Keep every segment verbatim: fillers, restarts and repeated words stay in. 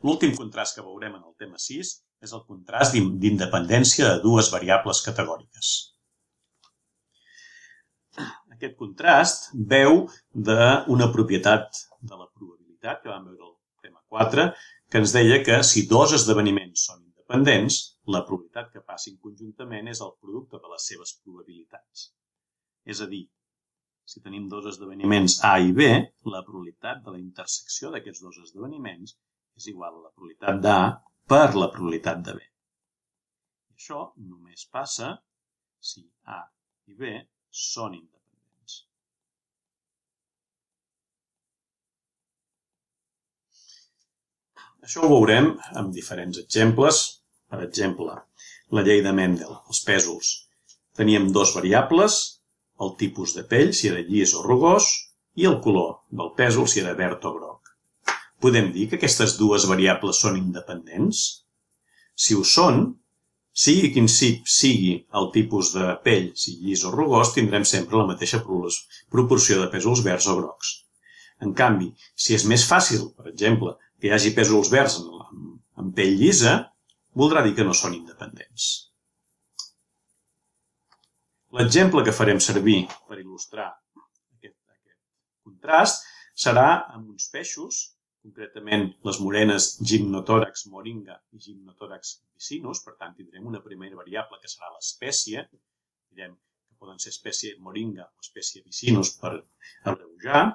L'últim contrast que veurem en el tema sis és el contrast d'independència de dues variables categòriques. Aquest contrast veu d'una propietat de la probabilitat, que vam veure al tema quatre, que ens deia que si dos esdeveniments són independents, la probabilitat que passin conjuntament és el producte de les seves probabilitats. És a dir, si tenim dos esdeveniments A i B, la probabilitat de la intersecció d'aquests dos esdeveniments és igual a la probabilitat d'A per la probabilitat de B. I això només passa si A i B són independents. Això ho veurem amb diferents exemples. Per exemple, la llei de Mendel, els pèsols. Teníem dos variables, el tipus de pell, si era llis o rugós, i el color del pèsol, si era verd o groc. Podem dir que aquestes dues variables són independents? Si ho són, sigui quin sigui el tipus de pell, si llis o rugós, tindrem sempre la mateixa proporció de pèsols verds o grocs. En canvi, si és més fàcil, per exemple, que hi hagi pèsols verds en pell llisa, voldrà dir que no són independents. L'exemple que farem servir per il·lustrar aquest contrast serà amb uns peixos, concretament les morenes Gymnothorax moringa i Gymnothorax vicinus, per tant tindrem una primera variable que serà l'espècie, direm que poden ser espècie moringa o espècie vicinus per abreujar,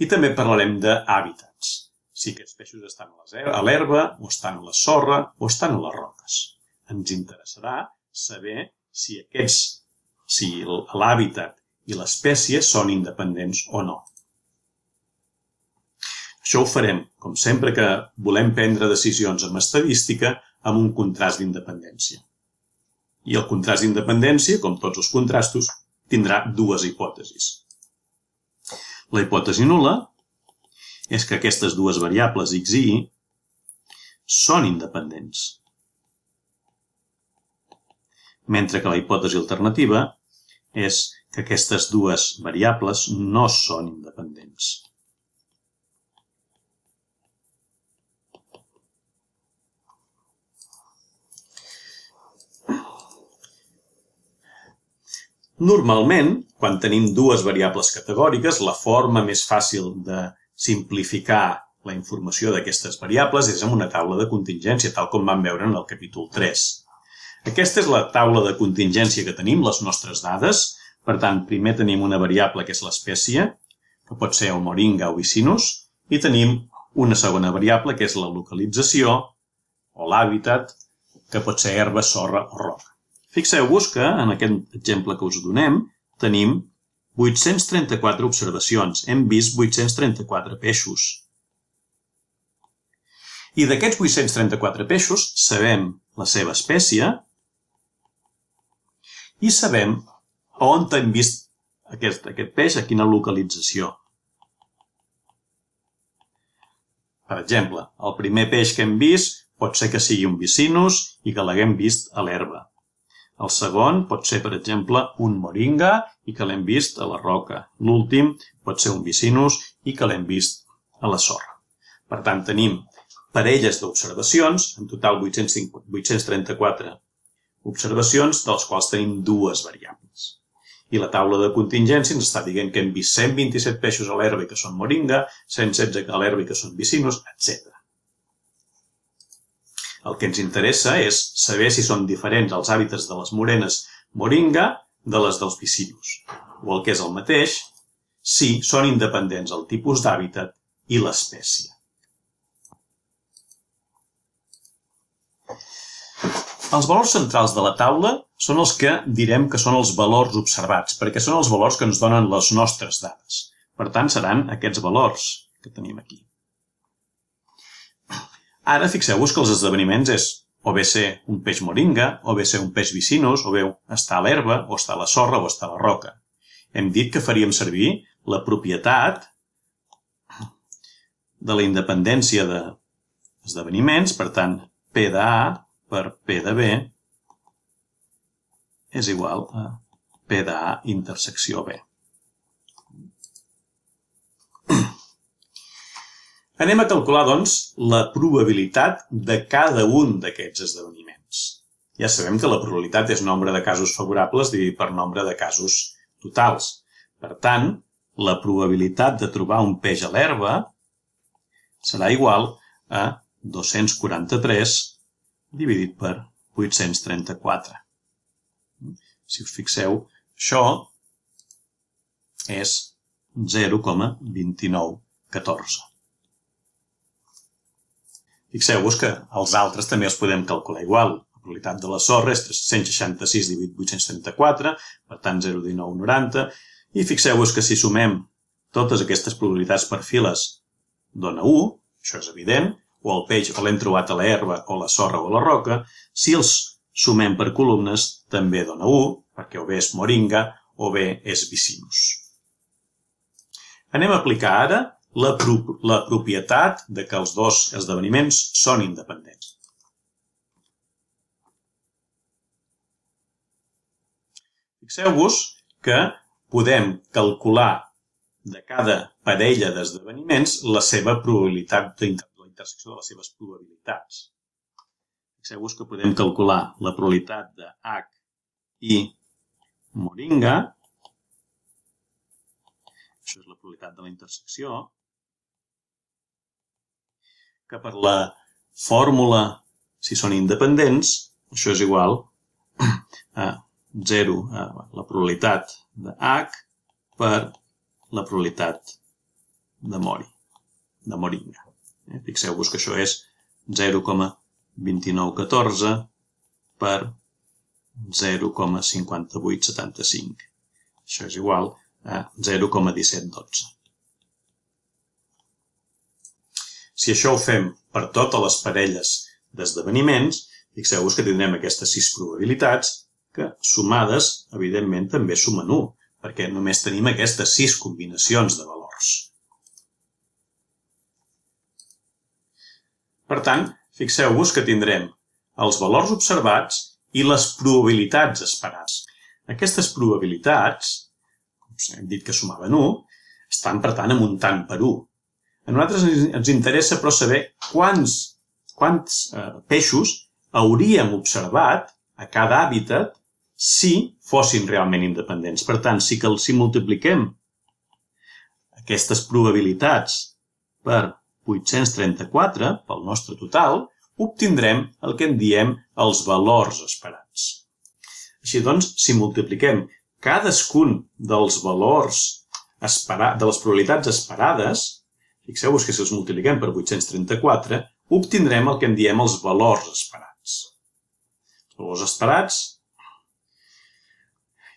i també parlarem d'hàbitats. Si aquests peixos estan a l'herba, o estan a la sorra, o estan a les roques. Ens interessarà saber si aquests, si l'hàbitat i l'espècie són independents o no. Això ho farem, com sempre que volem prendre decisions amb estadística, amb un contrast d'independència. I el contrast d'independència, com tots els contrastos, tindrà dues hipòtesis. La hipòtesi nul·la és que aquestes dues variables x i y són independents, mentre que la hipòtesi alternativa és que aquestes dues variables no són independents. Normalment, quan tenim dues variables categòriques, la forma més fàcil de simplificar la informació d'aquestes variables és amb una taula de contingència, tal com vam veure en el capítol tres. Aquesta és la taula de contingència que tenim, les nostres dades. Per tant, primer tenim una variable que és l'espècie, que pot ser o moringa o vicinus, i tenim una segona variable que és la localització o l'hàbitat, que pot ser herba, sorra o roca. Fixeu-vos que en aquest exemple que us donem tenim vuit-cents trenta-quatre observacions. Hem vist vuit-cents trenta-quatre peixos. I d'aquests vuit-cents trenta-quatre peixos sabem la seva espècie i sabem on hem vist aquest, aquest peix, a quina localització. Per exemple, el primer peix que hem vist pot ser que sigui un vicinus i que l'haguem vist a l'herba. El segon pot ser, per exemple, un moringa i que l'hem vist a la roca. L'últim pot ser un vicinus i que l'hem vist a la sorra. Per tant, tenim parelles d'observacions, en total vuit-cents trenta-quatre observacions, dels quals tenim dues variables. I la taula de contingència ens està dient que hem vist cent vint-i-set peixos a l'herba i que són moringa, cent setze a l'herba i que són vicinus, etcètera. El que ens interessa és saber si són diferents els hàbitats de les morenes moringa de les dels vicinus. O el que és el mateix, si són independents el tipus d'hàbitat i l'espècie. Els valors centrals de la taula són els que direm que són els valors observats, perquè són els valors que ens donen les nostres dades. Per tant, seran aquests valors que tenim aquí. Ara fixeu-vos que els esdeveniments és o bé ser un peix moringa, o bé ser un peix vicinus, o bé estar a l'herba, o estar a la sorra, o estar a la roca. Hem dit que faríem servir la propietat de la independència d'esdeveniments, per tant, P de A per P de B és igual a P de A intersecció B. Anem a calcular, doncs, la probabilitat de cada un d'aquests esdeveniments. Ja sabem que la probabilitat és nombre de casos favorables dividit per nombre de casos totals. Per tant, la probabilitat de trobar un peix a l'herba serà igual a dos-cents quaranta-tres dividit per vuit-cents trenta-quatre. Si us fixeu, això és zero coma vint-i-nou catorze. Fixeu-vos que els altres també els podem calcular igual. La probabilitat de la sorra és cent seixanta-sis dividit vuit-cents trenta-quatre, per tant zero coma dinou noranta, i fixeu-vos que si sumem totes aquestes probabilitats per files dona u, això és evident, o el peix o l'hem trobat a l'herba o la sorra o la roca. Si els sumem per columnes també dona u, perquè o bé és moringa o bé és vicinus. Anem a aplicar ara la, pro la propietat de que els dos esdeveniments són independents. Fixeu-vos que podem calcular de cada parella d'esdeveniments la seva probabilitat de la intersecció de les seves probabilitats. Fixeu-vos que podem calcular la probabilitat de H i moringa. Això és la probabilitat de la intersecció, que per la fórmula, si són independents, això és igual a zero, a la probabilitat de H per la probabilitat de mori, de moringa. Fixeu-vos que això és zero coma vint-i-nou catorze per zero coma cinquanta-vuit setanta-cinc. Això és igual a zero coma disset dotze. Si això ho fem per totes les parelles d'esdeveniments, fixeu-vos que tindrem aquestes sis probabilitats que, sumades, evidentment, també sumen u, perquè només tenim aquestes sis combinacions de valors. Per tant, fixeu-vos que tindrem els valors observats i les probabilitats esperades. Aquestes probabilitats, com hem dit que sumaven u, estan, per tant, amuntant per u. A nosaltres ens interessa, però, saber quants, quants eh, peixos hauríem observat a cada hàbitat si fossin realment independents. Per tant, si, que, si multipliquem aquestes probabilitats per vuit-cents trenta-quatre, pel nostre total, obtindrem el que en diem els valors esperats. Així doncs, si multipliquem cadascun dels valors esperats, de les probabilitats esperades, fixeu-vos que si els multipliquem per vuit-cents trenta-quatre, obtindrem el que en diem els valors esperats. Els valors esperats,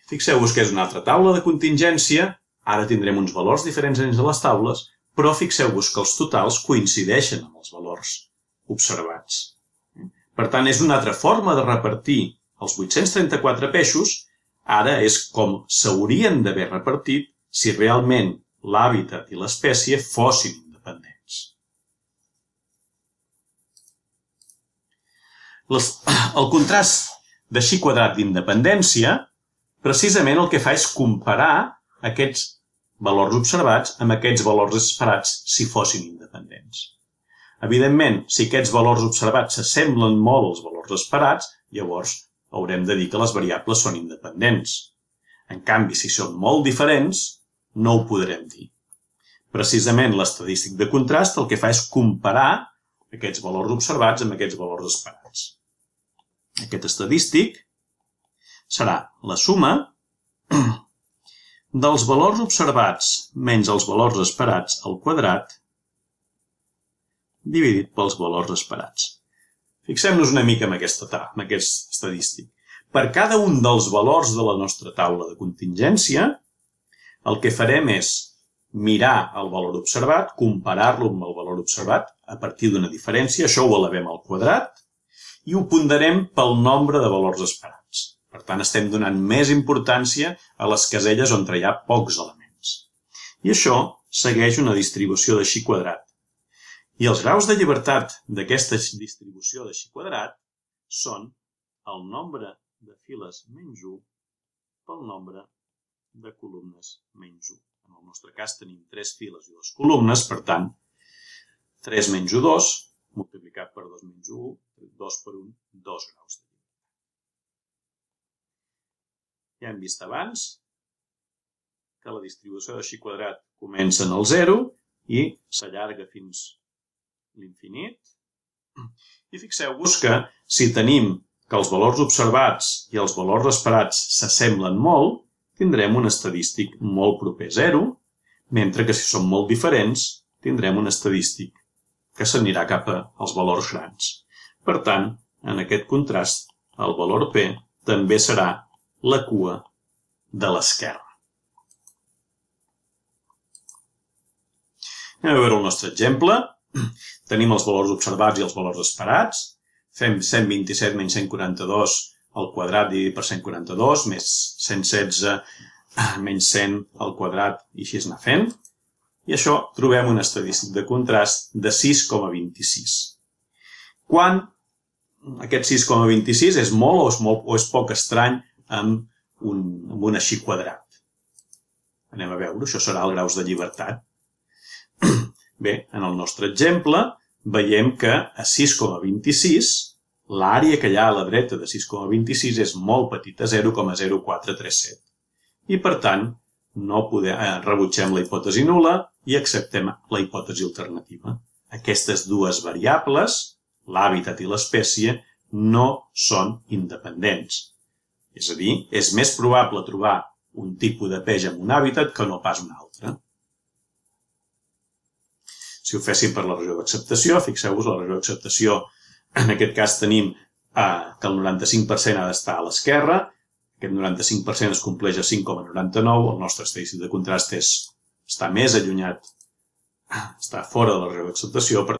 fixeu-vos que és una altra taula de contingència, ara tindrem uns valors diferents dins de les taules, però fixeu-vos que els totals coincideixen amb els valors observats. Per tant, és una altra forma de repartir els vuit-cents trenta-quatre peixos, ara és com s'haurien d'haver repartit si realment l'hàbitat i l'espècie fossin independents. Les, el contrast de xi quadrat d'independència precisament el que fa és comparar aquests valors observats amb aquests valors esperats si fossin independents. Evidentment, si aquests valors observats s'assemblen molt als valors esperats, llavors haurem de dir que les variables són independents. En canvi, si són molt diferents, no ho podrem dir. Precisament l'estadístic de contrast el que fa és comparar aquests valors observats amb aquests valors esperats. Aquest estadístic serà la suma dels valors observats menys els valors esperats al quadrat dividit pels valors esperats. Fixem-nos una mica en, aquesta, en aquest estadístic. Per cada un dels valors de la nostra taula de contingència, el que farem és mirar el valor observat, comparar-lo amb el valor observat a partir d'una diferència, això ho elevem al quadrat, i ho ponderem pel nombre de valors esperats. Per tant, estem donant més importància a les caselles on hi ha pocs elements. I això segueix una distribució de xi quadrat. I els graus de llibertat d'aquesta distribució de xi quadrat són el nombre de files menys u pel nombre de columnes menys u. En el nostre cas tenim tres files i dues columnes, per tant, tres menys u, dos, multiplicat per dos menys u, dos per un, dos graus de llibertat. Ja hem vist abans que la distribució de xi quadrat comença en el zero i s'allarga fins l'infinit. I fixeu-vos que si tenim que els valors observats i els valors esperats s'assemblen molt, tindrem un estadístic molt proper a zero, mentre que si són molt diferents, tindrem un estadístic que s'anirà cap als valors grans. Per tant, en aquest contrast, el valor P també serà la cua de l'esquerra. Anem a veure el nostre exemple. Tenim els valors observats i els valors esperats. Fem cent vint-i-set menys cent quaranta-dos al quadrat dividit per cent quaranta-dos, més cent setze menys cent al quadrat, i així es anar fent. I això trobem un estadístic de contrast de sis coma vint-i-sis. Quan aquest sis coma vint-i-sis és molt o és, molt, o és poc estrany amb un, amb un així quadrat. Anem a veure, això serà el graus de llibertat. Bé, en el nostre exemple veiem que a sis coma vint-i-sis l'àrea que hi ha a la dreta de sis coma vint-i-sis és molt petita, zero coma zero quatre tres set. I per tant, no podem, eh, rebutgem la hipòtesi nul·la i acceptem la hipòtesi alternativa. Aquestes dues variables, l'hàbitat i l'espècie, no són independents. És a dir, és més probable trobar un tipus de peix en un hàbitat que no pas un altre. Si ho féssim per la regió d'acceptació, fixeu-vos, la regió d'acceptació, en aquest cas tenim eh, que el noranta-cinc per cent ha d'estar a l'esquerra, aquest noranta-cinc per cent es compleix a cinc coma noranta-nou, el nostre estadístic de contrast és, està més allunyat, està fora de la regió d'acceptació, per